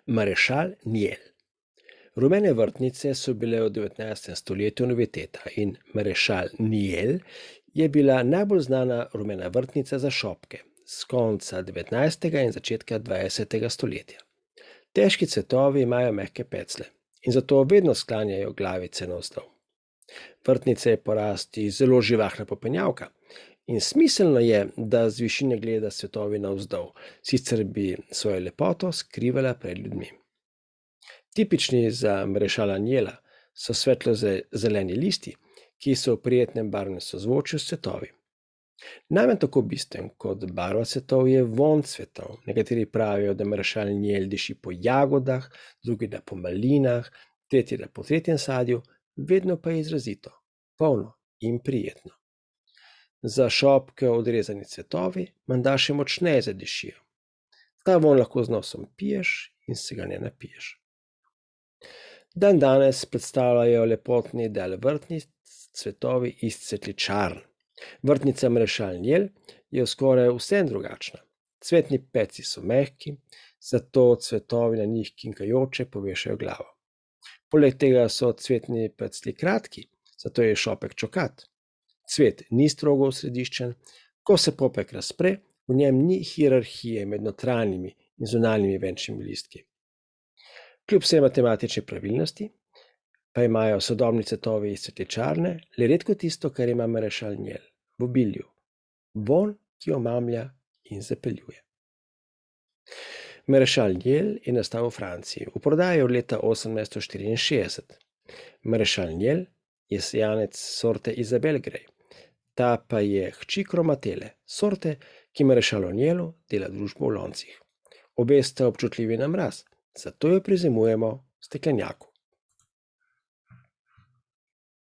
Marešal Niel. Rumene vrtnice so bile v 19. stoletju noviteta in Marešal Niel je bila najbolj znana rumena vrtnica za šopke z konca 19. in začetka 20. stoletja. Težki cvetovi imajo mehke peclje in zato vedno sklanjajo glavice navzdol. Vrtnica je po rasti zelo živahna popenjavka in smiselno je, da z višine gleda cvetovi navzdol, sicer bi svojo lepoto skrivala pred ljudmi. Tipični za Marešala Niela so svetlo zeleni listi, ki so v prijetnem barvnem sozvočju s cvetovi. Najmanj tako bistven kot barva cvetov je vonj cvetov. Nekateri pravijo, da Marešal Niel diši po jagodah, drugi da po malinah, tretji da po tretjem sadju, vedno pa je izrazito, polno in prijetno. Za šopke odrezani cvetovi menda še močneje zadišijo. Ta vonj lahko z nosom piješ in se ga ne napiješ. Dandanes predstavljajo lepotni del vrtnic cvetovi iz cvetličarn. Vrtnica Marešal Niel je skoraj vsem drugačna. Cvetni peci so mehki, zato cvetovi na njih kinkajoče povešajo glavo. Poleg tega so cvetni peclji kratki, zato je šopek čokat. Cvet ni strogo osrediščen, ko se popek razpre, v njem ni hierarhije med notranjimi in zunanjimi venčnimi listki. Kljub vsej matematični pravilnosti pa imajo sodobni cvetovi iz cvetličarne le redko tisto, kar ima Marešal Niel v obilju. Vonj, ki omamlja in zapeljuje. Marešal Niel je nastal v Franciji. V prodaji od leta 1864. Marešal Niel je sejanec sorte Isabelle Grey. Ta pa je hči kromatele, sorte, ki Marešalu Nielu dela družbo v loncih. Obe sta občutljivi na mraz, zato jo prizemujemo v steklenjaku.